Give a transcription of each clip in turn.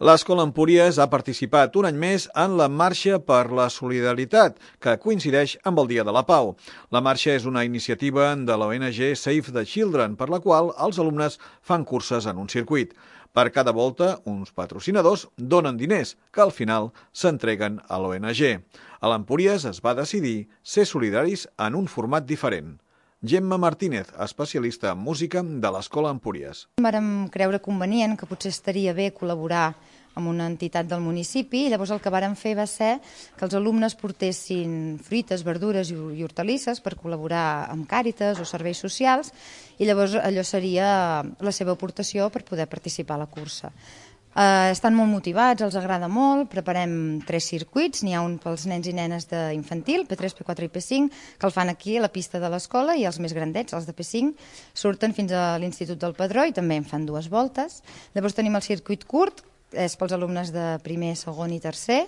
L'Escola Empúries ha participat un any més en la Marxa per la Solidaritat, que coincideix amb el Dia de la Pau. La marxa és una iniciativa de l'ONG Save the Children, per la qual els alumnes fan curses en un circuit. Per cada volta, uns patrocinadors donen diners, que al final s'entreguen a l'ONG. A l'Empúries es va decidir ser solidaris en un format diferent. Gemma Martínez, especialista en música de l'Escola Empúries. Vàrem creure convenient que potser estaria bé col·laborar amb una entitat del municipi i llavors el que vàrem fer va ser que els alumnes portessin fruites, verdures i hortalisses per col·laborar amb Càritas o serveis socials i llavors allò seria la seva aportació per poder participar a la cursa. Estan molt motivats, els agrada molt, preparem 3 circuits, n'hi ha un pels nens i nenes d'infantil, P3, P4 i P5, que el fan aquí a la pista de l'escola i els més grandets, els de P5, surten fins a l'Institut del Padró i també en fan 2 voltes. Llavors tenim el circuit curt, és pels alumnes de primer, segon i tercer,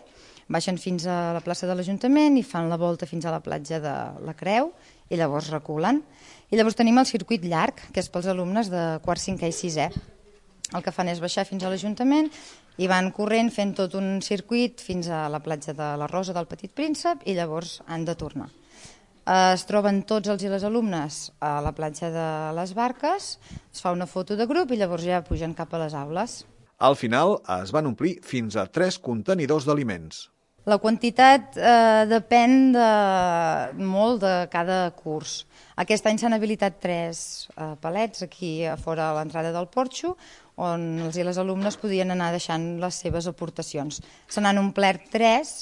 baixen fins a la plaça de l'Ajuntament i fan la volta fins a la platja de la Creu i llavors reculen. I llavors tenim el circuit llarg, que és pels alumnes de quart, cinquè i sisè. El que fan és baixar fins a l'Ajuntament i van corrent fent tot un circuit fins a la platja de la Rosa del Petit Príncep i llavors han de tornar. Es troben tots els i les alumnes a la platja de les Barques, es fa una foto de grup i llavors ja pugen cap a les aules. Al final es van omplir fins a 3 contenidors d'aliments. La quantitat depèn molt de cada curs. Aquest any s'han habilitat 3 palets aquí a fora a l'entrada del porxo on els i les alumnes podien anar deixant les seves aportacions. Se n'han omplert 3,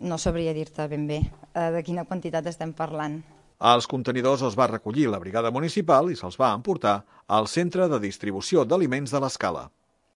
no sabria dir-te ben bé de quina quantitat estem parlant. Els contenidors els va recollir la brigada municipal i se'ls va emportar al centre de distribució d'aliments de l'Escala.